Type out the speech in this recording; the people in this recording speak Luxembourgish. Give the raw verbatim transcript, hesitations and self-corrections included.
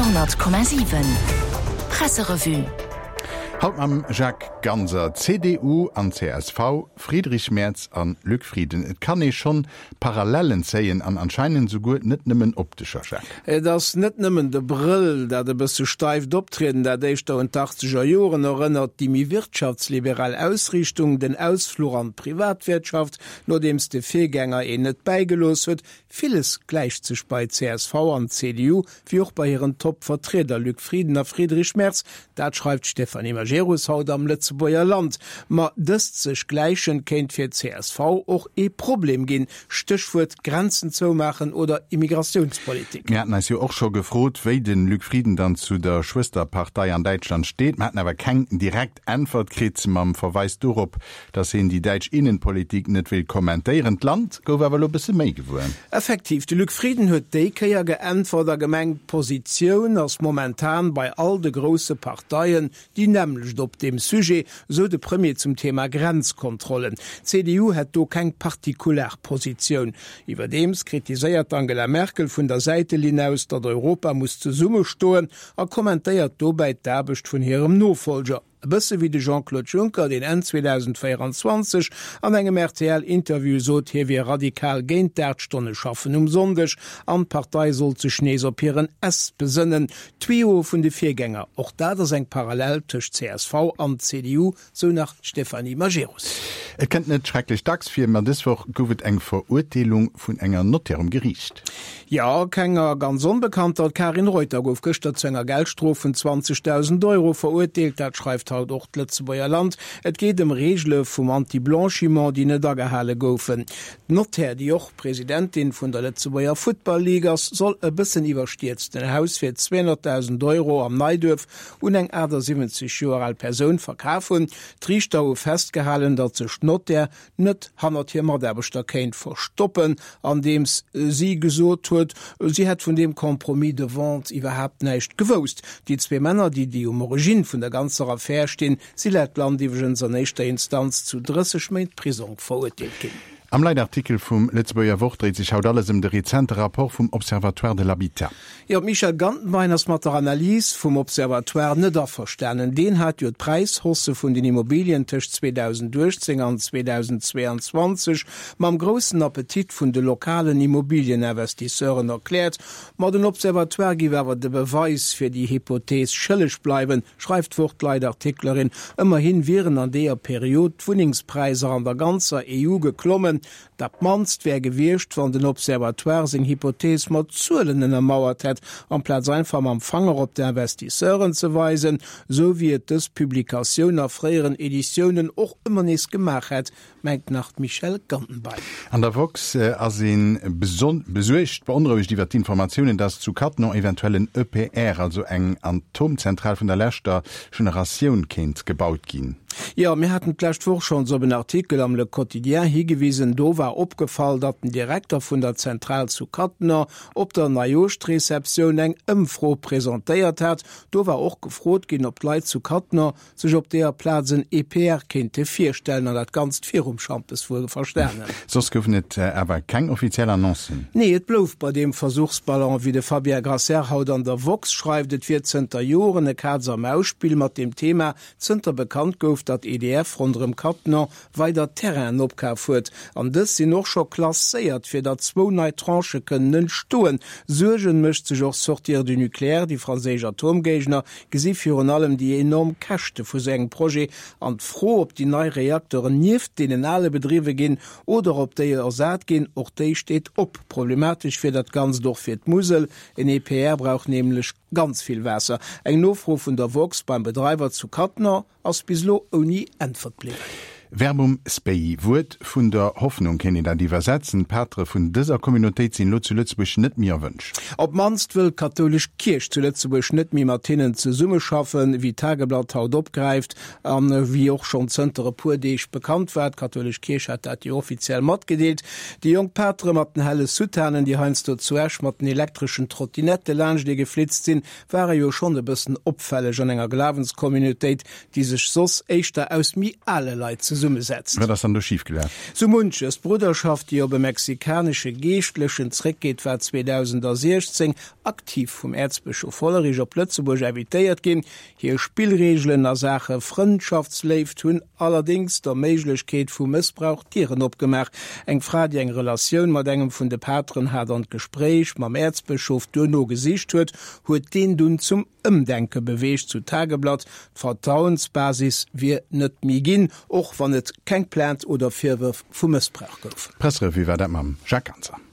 Radio honnert Komma siwen Presserevue. Haut mam Jacques Ganser, C D U an C S V, Friedrich Merz an Luc Frieden. Et kann ee schonn Parallellen zéien an anscheinend souguer net nëmmen optescher, Jacques. Et ass net nëmmen de Brëll, dat e bësse steift Optrieden, dat éischter un d'achtzeger Joren erënnert, déi méi wirtschaftsliberal Ausriichtung, den Ausfluch an d'Privatwirtschaft, nodeems de Virgänger een net bäigelooss huet. Villes gläicht sech bei C S V an C D U, wéi och bei hiren Top-Vertrieder Luc Frieden a Friedrich Merz. Dat schreift d'Stéphanie Majerus haut am Lëtzebuerger Land. Ma dëst sech gläichen kéint fir C S V och ee Problem ginn, Stéchwuert Grenzen zoumaachen oder Immigratiounspolitik. Mir haten eis jo och scho gefrot, wéi de Luc Frieden dann zu der Schwësterpartei an Däitschland steet. Mir haten awer keng direkt Äntwert kritt, mam Verweis dorop, datt hien déi däitsch Innenpolitik net wéilt kommentéieren. D'Land gouf awer elo e bësse méi gewuer. Effektiv, de Luc Frieden huet déi Kéier geäntwert a gemengt, d'Positioun ass momentan bei all de grousse Parteien déi nämmlecht op deem Sujet, sou de Premier zum Thema Grenzkontrollen. D'C D U hätt do keng partikular Positioun. Iwwerdeems kritiséiert d'Angela Merkel vun der Säitelinn aus, datt Europa muss zesummestoen a kommentéiert dobäi d'Aarbecht vun hirem Nofollger. E bësse wéi de Jean-Claude Juncker, deen Enn zweedausendvéierenzwanzeg an engem R T L-Interview sot, hie wier radikal géint d'Aacht-Stonne-Schaffen um Sonndeg an d'Partei sollt sech nees op hiren S besënnen, d'Tuyau vun de Virgänger. Och dat ass eng Parallel tëscht C S V an C D U, sou nach d'Stéphanie Majerus. Et kënnt net schrecklech dacks vir, ma dës Woch gouf et eng Verurteelung vun enger Notaire um Geriicht. Jo, kenger ganz onbekannter, d'Karin Reuter gouf gëschter zu enger Geldstrof vun zwanzegdausend Euro verurteelt, dat schreift haut och d'Lëtzebuerger Land. Et geet ëm Reegele vum Anti-Blanchiment, déi net agehale goufen. D'Notaire, déi och Presidentin vun der Lëtzebuerger Futtball-Ligue ass, soll e bëssen iwwerstierzt en Haus fir zweehonnertdausend Euro am Neiduerf un eng achtasiwwenzeg Joer al Persoun verkaf hunn. D'Riichter hu festgehalen, datt sech d'Notaire net hannert hir Mataarbechter kéint verstoppen, andeems si gesot huet, si hätt vun deem Compromis de vente iwwerhaapt näischt gewousst. Déi zwee Männer, déi déi um Origine vun der ganzer Affär stinn, si laut Land iwwregens an éischter Instanz zu drësseg Méint Prisong verurteelt ginn. Am Leitartikel vum Lëtzebuerger Wort dréit sech haut alles ëm de rezente Rapport vum Observatoire de l'Habitat. Jo, d'Michèle Gantenbein ass mat der Analys vum Observatoire net averstanen. Deen hat jo d'Präishausse vun den Immobilien tëscht zweedausenduechtzéng an zweedausendzweeanzwanzeg mam groussen Appetit vun de lokalen Immobilieninvestisseuren erkläert. Ma den Observatoire géif awer de Beweis fir déi Hypothees schëlleg bleiwen, schreift d'Wort-Leitartiklerin. Ëmmerhi wieren an deeër Period d'Wunnengspräisser an der ganzer E U geklommen. Dat mannst wär gewiescht, wann den Observatoire seng Hypothees mat Zuelen ënnermauert hätt, amplaz einfach mam Fanger op d'Investisseuren ze weisen, sou wéi et dës Publikatioun a fréieren Editiounen och ëmmer nees gemaach hätt, mengt nach d'Michèle Gantenbein. An der woxx ass ee besuergt, beonrouegt iwwer d'Informatiounen, datt zu Cattenom eventuell en E P R, also eng Atomzentral vun der leschter Generatioun, kéint gebaut ginn. Jo, mir haten d'lescht Woch schonns op en Artikel am Le Quotidien higewisen. Do war opgefall, datt den Direkter vun der Zentral zu Cattenom op der Neijooschreceptioun eng Ëmfro presentéiert hat. Do war och gefrot ginn, ob d'Leit zu Cattenom sech op deeër Plaz en E P R kéinte virstellen, an dat Ganzt virum Schampes wuel verstanen. Soss goufen et awer keng offiziell Annoncen. Nee, et blouf bei deem Versuchsballon, wéi de Fabien Grasser haut an der woxx schreift. Et wier zënter Joren e Kaz-a-Maus-Spill mat deem Thema, zënter bekannt gouf, datt E D F ronderëm Cattenom weider Terrainen opkaf huet. An dës sinn och scho klasséiert, fir datt zwou nei Tranchë kënnen entstoen. Suergen mécht sech och Sortir du nucléaire, déi franséisch Atomgéigner gesi virun allem déi enorm Käschte vu sou engem Projet an d'Fro, ob déi nei Reakteuren nieft deenen ale bedriwwe ginn oder ob déi ersat ginn, och déi steet op. Problematesch wier dat Ganzt och fir d'Musel. En E P R brauch nämlech ganz vill Waasser. Eng Nofro vun der woxx beim Bedreiwer zu Cattenom ass bis elo ouni Äntwert bliwwen. Verbum Spei, Wuert vun der Hoffnung, kéint een dat iwwersetzen. D'Patere vun dëser Communautéit sinn elo zu Lëtzebuerg net méi erwënscht. Op d'mannst wëll d'kathoulesch Kierch zu Lëtzebuerg net méi mat hinnen zesummeschaffen, wéi d'Tageblatt haut opgräift an wéi och schonn zënter e puer Deeg bekannt war. D'kathoulesch Kierch hat dat jo offiziell matgedeelt. Déi jonk Patere mat den helle Soutanen, déi heiansdo zu Esch mat den elektreschen Trottinette laanscht ee geflitzt sinn, ware jo schonn e bëssen opfälleg an enger Glawenscommunautéit, déi sech soss éischter aus méi ale Leit zesummesetzt. Wat ass dann do schif gelaf? Sou munches. D'Brudderschaft, déi op e mexikanesche Geeschtlechen zréckgeet, war zweedausentsiechzéng aktiv vum Äerzbëschof Hollerich op Lëtzebuerg invitéiert ginn. Hir Spillreegelen a Saache Frëndschaftsléift hunn allerdéngs der Méiglechkeet vu Mëssbrauch d'Dieren opgemaach. Eng Fra, déi eng Relatioun mat engem vun de Pateren hat an d'Gespréich mam Äerzbëschof duerno gesicht huet, huet deen dunn zum Ëmdenke beweegt, sou d'Tageblatt. D'Vertrauensbasis wier net méi ginn, och wann et keng Plainte oder Virwërf vu Mëssbrauch gouf. D'Presserevue war dat mam Jacques Ganser.